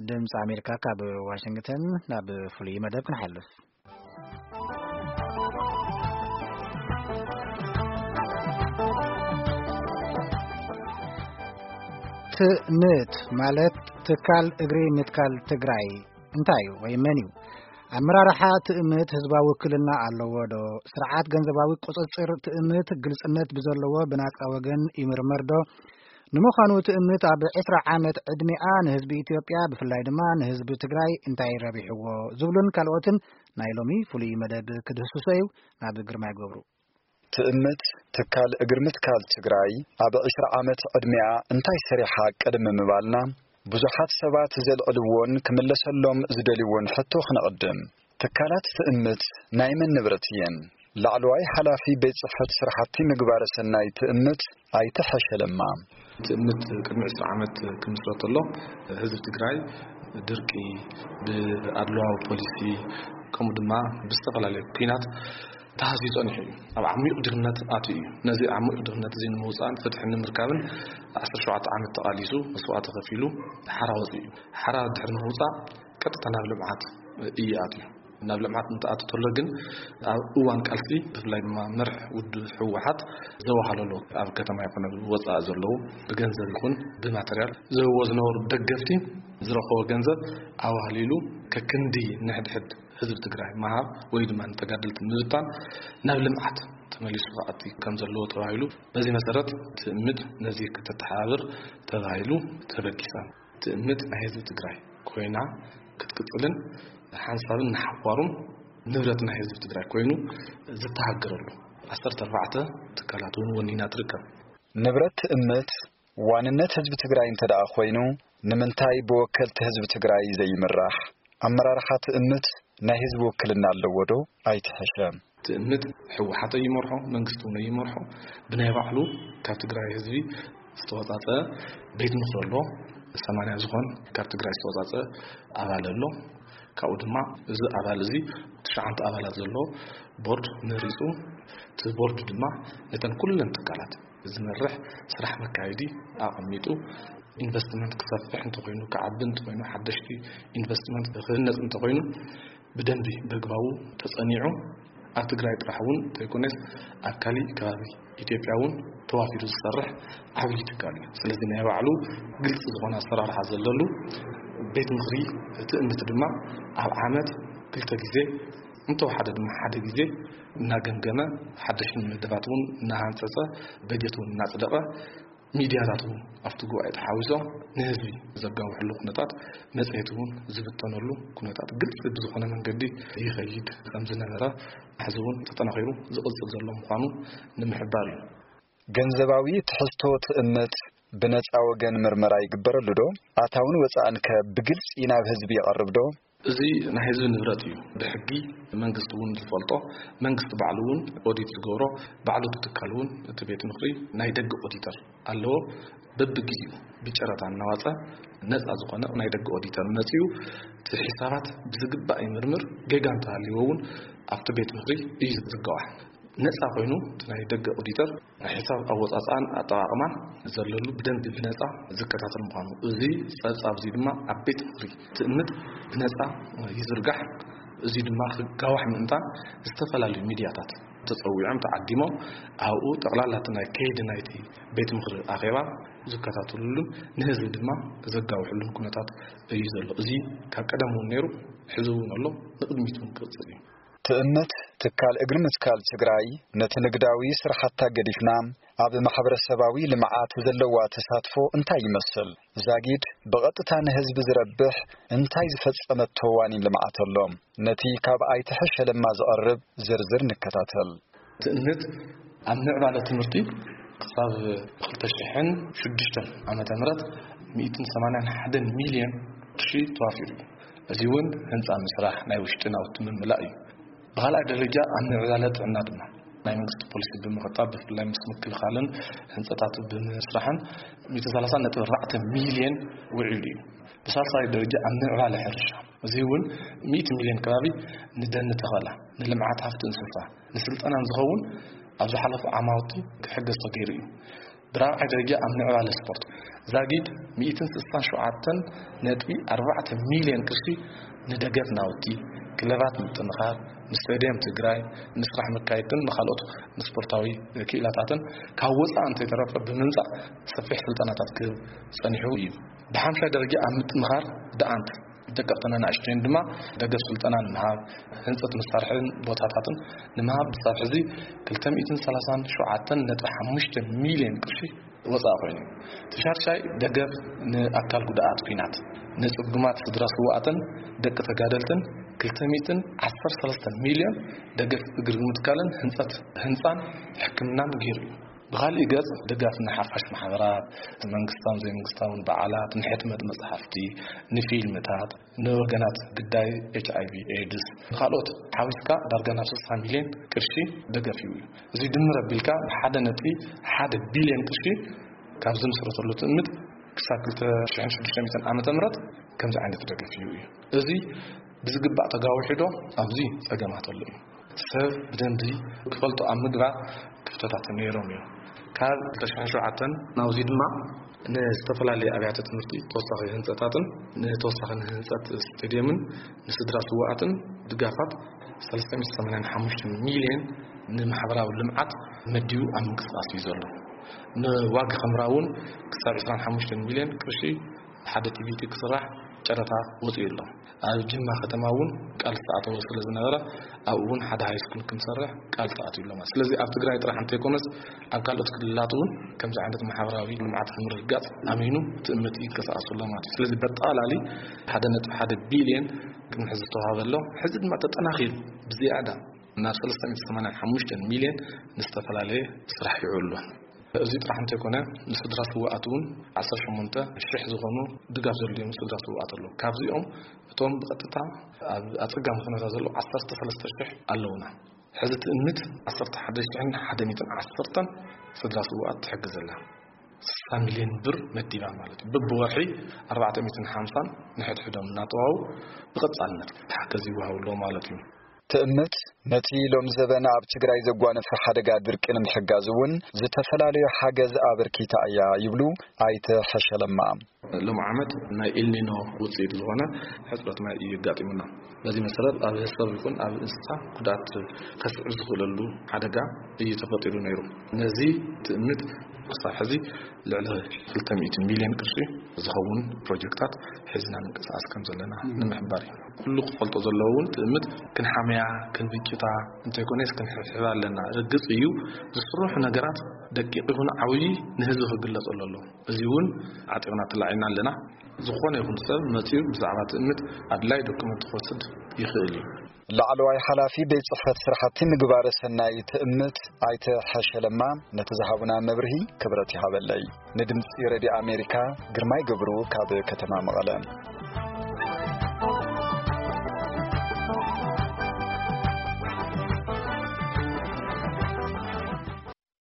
ድምፂ ኣሜሪካ ካብ ዋሽንግተን ናብ ፍሉይ መደብ ክንሓልፍ። ትእምት ማለት ትካል እግሪ ምትካል ትግራይ እንታይ እዩ ወይ መን እዩ? ኣመራርሓ ትእምት ህዝባዊ ውክልና ኣለዎ ዶ? ስርዓት ገንዘባዊ ቁፅፅር ትእምት ግልፅነት ብዘለዎ ብናፃ ወገን ይምርመር ዶ? ንምዃኑ ትእምት ኣብ ዕስራ ዓመት ዕድሜኣ ንህዝቢ ኢትዮጵያ ብፍላይ ድማ ንህዝቢ ትግራይ እንታይ ረቢሕዎ? ዝብሉን ካልኦትን ናይ ሎሚ ፍሉይ መደብ ክድህስሶ እዩ። ናብ ግርማይ ገብሩ። ትእምት ትካል እግሪ ምትካል ትግራይ ኣብ ዕስራ ዓመት ዕድሜኣ እንታይ ሰሪሓ ቅድሚ ምባልና ብዙሓት ሰባት ዘልዕልዎን ክምለሰሎም ዝደልይዎን ሕቶ ክነቕድም። ትካላት ትእምት ናይ መን ንብረት እየን? ላዕለዋይ ሓላፊ ቤት ጽሕፈት ስራሕቲ ምግባረ ሰናይ ትእምት ኣይተ ሐሸ ለማ። ትእምት ቅድሚ ዕስራ ዓመት ክምስረት ከሎ ህዝቢ ትግራይ ድርቂ፣ ብኣድለዋዊ ፖሊሲ፣ ከምኡ ድማ ብዝተፈላለዩ ኲናት ተሃስዩ ጸኒሑ እዩ። ኣብ ዓሚቕ ድኽነት ኣትዩ እዩ። ነዚ ዓሚቕ ድኽነት እዚ ንምውጻእን ፍትሒ ንምርካብን ዓሰርተ ሸውዓተ ዓመት ተቓሊሱ መስዋእቲ ከፊሉ ሓራ ወጺኡ እዩ። ሓራ ድሕሪ ምውጻእ ቀጥታ ናብ ልምዓት እዩ ኣትዩ። ናብ ልምዓት እንትኣቱ ተሎ ግን ኣብ እዋን ቃልሲ ብፍላይ ድማ መርሕ ውድብ ህወሓት ዘዋሃለሎ ኣብ ከተማ ይኹን ኣብ ወፃኢ ዘለዉ ብገንዘብ ይኹን ብማተርያል ዝህብዎ ዝነበሩ ደገፍቲ ዝረኸቦ ገንዘብ ኣዋህሊሉ ከክንዲ ንሕድሕድ ህዝቢ ትግራይ ምሃብ ወይ ድማ ንተጋደልቲ ምብታን ናብ ልምዓት ተመሊሱ ክኣቲ ከም ዘለዎ ተባሂሉ በዚ መሰረት ትእምት ነዚ ክተተሓባብር ተባሂሉ ተበጊሳ። ትእምት ናይ ህዝቢ ትግራይ ኮይና ክትቅፅልን ሓንሳብን ንሓዋሩን ንብረት ናይ ህዝቢ ትግራይ ኮይኑ ዝተሃገረሉ ዓሰርተ ኣርባዕተ ትካላት እውን ወኒና ትርከብ። ንብረት ትእምት ዋንነት ህዝቢ ትግራይ እንተ ደኣ ኮይኑ ንምንታይ ብወከልቲ ህዝቢ ትግራይ ዘይምራሕ? ኣመራርሓ ትእምት ናይ ህዝቢ ውክልና ኣለዎ ዶ ኣይትሕሸ? ትእምት ህወሓት ኣይመርሖ፣ መንግስቲ እውን ኣይመርሖ። ብናይ ባዕሉ ካብ ትግራይ ህዝቢ ዝተወፃፀ ቤት ምኽሪ ኣሎ። ሰማንያ ዝኾን ካብ ትግራይ ዝተወፃፀ ኣባል ኣሎ። ካብኡ ድማ እዚ ኣባል እዚ ትሽዓተ ኣባላት ዘሎ ቦርድ መሪፁ። እቲ ቦርድ ድማ ነተን ኩለን ትካላት ዝመርሕ ስራሕ መካየዲ ኣቐሚጡ። ኢንቨስትመንት ክሰፍሕ እንተኾይኑ፣ ክዓቢ እንተኾይኑ፣ ሓደሽቲ ኢንቨስትመንት ክህነፅ እንተኾይኑ ብደንቢ በግባቡ ተፀኒዑ ኣብ ትግራይ ጥራሕ እውን ዘይኮነስ ኣብ ካሊእ ከባቢ ኢትዮጵያ እውን ተዋፊሩ ዝሰርሕ ዓብዪ ትካል እዩ። ስለዚ ናይ ባዕሉ ግልፂ ዝኾነ ኣሰራርሓ ዘለሉ ቤት ምኽሪ ትእምት ድማ ኣብ ዓመት ክልተ ግዜ እንተወሓደ ድማ ሓደ ግዜ እናገምገመ ሓደሽቲ መደባት እውን እናሃንፀፀ በጀት እውን እናፅደቐ ሚድያታት እውን ኣብቲ ጉባኤ ተሓዊሶም ንህዝቢ ዘጋውሕሉ ኩነታት መፅሄት እውን ዝብተነሉ ኩነታት ግልፂ ብዝኾነ መንገዲ ይኸይድ ከም ዝነበረ ሕዚ እውን ተጠናኺሩ ዝቕፅል ዘሎ ምዃኑ ንምሕባር እዩ። ገንዘባዊ ትሕዝቶ ትእምት ብነፃ ወገን ምርመራ ይግበረሉ ዶ? ኣታውን ወፃእን ከ ብግልፂ ናብ ህዝቢ ይቐርብ ዶ? እዚ ናይ ህዝቢ ንብረት እዩ። ብሕጊ መንግስቲ እውን ዝፈልጦ፣ መንግስቲ ባዕሉ እውን ኦዲት ዝገብሮ፣ ባዕሉ እቲ ትካል እውን እቲ ቤት ምኽሪ ናይ ደገ ኦዲተር ኣለዎ። በብግዜኡ ብጨረታ እናዋፀ ነፃ ዝኾነ ናይ ደገ ኦዲተር መፂኡ እቲ ሒሳባት ብዝግባእ ይምርምር። ጌጋ እንተሃልይዎ እውን ኣብቲ ቤት ምኽሪ እዩ ዝጋዋሕ። ነፃ ኮይኑ እቲ ናይ ደገ ኦዲተር ናይ ሒሳብ ኣወፃፅኣን ኣጠቓቕማን ዘለሉ ብደንቢ ብነፃ ዝከታተል ምዃኑ፣ እዚ ፀብፃብ እዚ ድማ ኣብ ቤት ምኽሪ ትእምት ብነፃ ይዝርጋሕ። እዚ ድማ ክጋዋሕ ምእንታን ዝተፈላለዩ ሚድያታት ተፀዊዖም ተዓዲሞም ኣብኡ ጠቕላላ እቲ ናይ ከይዲ ናይቲ ቤት ምኽሪ ኣኼባ ዝከታተሉሉን ንህዝቢ ድማ ዘጋውሕሉን ኩነታት እዩ ዘሎ። እዚ ካብ ቀደም እውን ነይሩ፣ ሕዚ እውን ኣሎ፣ ንቕድሚት እውን ክቕፅል እዩ። ትእምት ትካል እግሪ ምትካል ትግራይ ነቲ ንግዳዊ ስራሕታ ገዲፍና ኣብ ማሕበረሰባዊ ልምዓት ዘለዋ ተሳትፎ እንታይ ይመስል? ዛጊድ ብቐጥታ ንህዝቢ ዝረብሕ እንታይ ዝፈጸመቶ ዋኒን ልምዓት ኣሎ? ነቲ ካብ ኣይተ ሐሸ ለማ ዝቐርብ ዝርዝር ንከታተል። ትእምት ኣብ ምዕባለ ትምህርቲ ክሳብ ክልተ ሽሕን ሽዱሽተን ዓመተ ምህረት ሚእትን ሰማንያን ሓደን ሚልዮን ቅርሺ ተዋፊሩ እዩ። እዚ እውን ህንፃ ምስራሕ፣ ናይ ውሽጢ ናውቲ ምምላእ እዩ። ብኻልኣይ ደረጃ ኣብ ምዕባለ ጥዕና ድማ ናይ መንግስቲ ፖሊሲ ብምኽታብ ብፍላይ ምስ ምክልኻልን ህንፀታት ብምስራሕን ሚእቲ ሰላሳ ነጥቢ ኣርባዕተ ሚልዮን ውዒሉ እዩ። ብሳልሳይ ደረጃ ኣብ ምዕባለ ሕርሻ፣ እዚ እውን ሚእቲ ሚልዮን ከባቢ ንደን ተኸላ፣ ንልምዓት ሃፍቲ እንስሳ፣ ንስልጠናን ዝኸውን ኣብ ዝሓለፉ ዓማውቲ ክሕገዝ ተገይሩ እዩ። ብራብዓይ ደረጃ ኣብ ምዕባለ ስፖርት፣ ዛጊድ ሚእትን ስሳን ሸውዓተን ነጥቢ ኣርባዕተ ሚልዮን ቅርሺ ንደገፍ ናውቲ፣ ክለባት ምጥንኻር፣ ንስቴድየም ትግራይ፣ ንስራሕ መካየድትን ንኻልኦት ንስፖርታዊ ክኢላታትን ካብ ወፃኢ እንተይተረፈ ብምምፃእ ሰፊሕ ስልጠናታት ክህብ ፀኒሑ እዩ። ብሓምሻይ ደረጃ ኣብ ምጥንኻር ደኣንት ደቀቕተን ኣናእሽተይን ድማ ደገፍ ስልጠና ንምሃብ፣ ህንፀት መሳርሕን ቦታታትን ንምሃብ ብሳብ ሕዚ ክልተ ሚእትን ሰላሳን ሸውዓተን ነጥቢ ሓሙሽተ ሚልዮን ቅርሺ ወፃኢ ኮይኑ። እቲ ሻድሻይ ደገፍ ንኣካል ጉዳኣት ኲናት፣ ንፅጉማት ስድራ ስዋኣትን ደቂ ተጋደልትን ክልተ ሚእትን ዓሰርተ ሰለስተ ሚልዮን ደገፍ እግሪ ምትካልን ህንፀት ህንፃን ሕክምናን ገይሩ እዩ። ብኻሊእ ገፅ ደጋፍ ንሓፋሽ ማሕበራት፣ መንግስታውን ዘይመንግስታውን በዓላት፣ ንሕትመት መፅሓፍቲ፣ ንፊልምታት፣ ንወገናት ግዳይ ኤች ኣይ ቪ ኤድስ፣ ንኻልኦት ሓዊስካ ዳርጋ ናብ ስልሳ ሚልዮን ቅርሺ ደገፍ እዩ። እዚ ድምር ኣቢልካ ሓደ ነጥቢ ሓደ ቢልዮን ቅርሺ ካብ ዝምስረተሉ ትእምት ክሳብ ክልተ ሽሕን ሽዱሽተ ሚእትን ዓመተ ምህረት ከምዚ ዓይነት ደገፍ እዩ እዩ። እዚ ብዝግባእ ተጋዊሑ ዶ? ኣብዚ ጸገማት ኣሎ እዩ። ሰብ ብደንቢ ክፈልጦ ኣብ ምግባር ክፍተታት ነይሮም እዮም። ካብ ክልተ ሽሕን ሸውዓተን ናብዚ ድማ ንዝተፈላለዩ ኣብያተ ትምህርቲ ተወሳኺ ህንፀታትን ንተወሳኺ ንህንፀት ስቴድየምን ንስድራ ስዋኣትን ድጋፋት ሰለስተ ሚእቲ ሰማንያን ሓሙሽተ ሚልዮን ንማሕበራዊ ልምዓት መዲቡ ኣብ ምንቅስቃስ እዩ ዘሎ። ንዋግ ኽምራ እውን ክሳብ ዕስራን ሓሙሽተን ሚልዮን ቅርሺ ሓደ ቲ ቪ ቲ ክስራሕ ጨረታ ወፂኡ ኣሎ። ኣብ ጅማ ከተማ እውን ቃል ዝተኣተወ ስለ ዝነበረ ኣብኡ እውን ሓደ ሃይስኩል ክንሰርሕ ቃል ተኣትዩ ኣሎ ማለት። ስለዚ ኣብ ትግራይ ጥራሕ እንተይኮነስ ኣብ ካልኦት ክልላት እውን ከምዚ ዓይነት ማሕበራዊ ልምዓት ንምርግጋፅ ኣሚኑ ትእምት ይንቀሳቀሱ ኣሎ ማለት እዩ። ስለዚ በጠቓላሊ ሓደ ነጥቢ ሓደ ቢልዮን ቅድሚ ሕዚ ዝተዋሃበ ኣሎ። ሕዚ ድማ ተጠናኺሩ ብዝያዳ ናብ ሰለስተ ሚእቲ ሰማንያን ሓሙሽተን ሚልዮን ንዝተፈላለየ ስራሕ ይውዕል ኣሎ። እዚ ጥራሕ እንተይኮነ ንስድራ ስውኣት እውን ዓሰርተ ሸሞንተ ሽሕ ዝኾኑ ድጋፍ ዘድልዮም ስድራ ስውኣት ኣለዉ። ካብዚኦም እቶም ብቐጥታ ኣብ ኣጸጋሚ ኩነታት ዘለዉ ዓሰርተ ሰለስተ ሽሕ ኣለዉና። ሕዚ ትእምት ዓሰርተ ሓደ ሽሕን ሓደ ሚእትን ዓሰርተን ስድራ ስውኣት ትሕግዝ ኣላ። ስሳ ሚልዮን ብር መዲባ ማለት እዩ። በብወርሒ ኣርባዕተ ሚእትን ሓምሳን ንሕድሕዶም እናጠዋው ብቐጻልነት ሓገዝ ይወሃቡ ኣለዉ ማለት እዩ። ትእምት ነቲ ሎም ዘበን ኣብ ትግራይ ዘጓነፈ ሓደጋ ድርቂ ንምሕጋዝ እውን ዝተፈላለዩ ሓገዝ ኣበርኪታ እያ ይብሉ ኣይተ ሐሸለማ። ሎም ዓመት ናይ ኤልኒኖ ውፅኢት ዝኾነ ሕፅረት ማይ እዩ ኣጋጢሙና። በዚ መሰረት ኣብ ሰብ ይኹን ኣብ እንስሳ ጉድኣት ከስዕብ ዝኽእለሉ ሓደጋ እዩ ተፈጢሩ ነይሩ። ነዚ ትእምት ክሳብ ሕዚ ልዕሊ ክልተ ሚእቲ ሚልዮን ቅርሺ ዝኸውን ፕሮጀክታት ሒዝና ምንቅስቃስ ከም ዘለና ንምሕባር እዩ። ኩሉ ክፈልጦ ዘለዎ እውን ትእምት ክንሓምያ ክንብጭታ እንተይኮነስ ክንሕብሕባ ኣለና። ርግፅ እዩ ዝስርሑ ነገራት ደቂቕ ይኹን ዓብዪ ንህዝቢ ክግለፀሉ ኣለዎ። እዚ እውን ዓጢቕና ተላዒልና ኣለና። ዝኾነ ይኹን ሰብ መፂኡ ብዛዕባ ትእምት ኣድላይ ዶክመንት ክወስድ ይኽእል እዩ። ላዕለዋይ ሓላፊ ቤት ጽሕፈት ስራሕቲ ምግባረ ሰናይ ትእምት ኣይተ ሐሸለማ ነቲ ዝሃቡና መብርሂ ክብረት ይሃበለይ። ንድምፂ ሬድዮ ኣሜሪካ ግርማይ ገብሩ ካብ ከተማ መቐለ።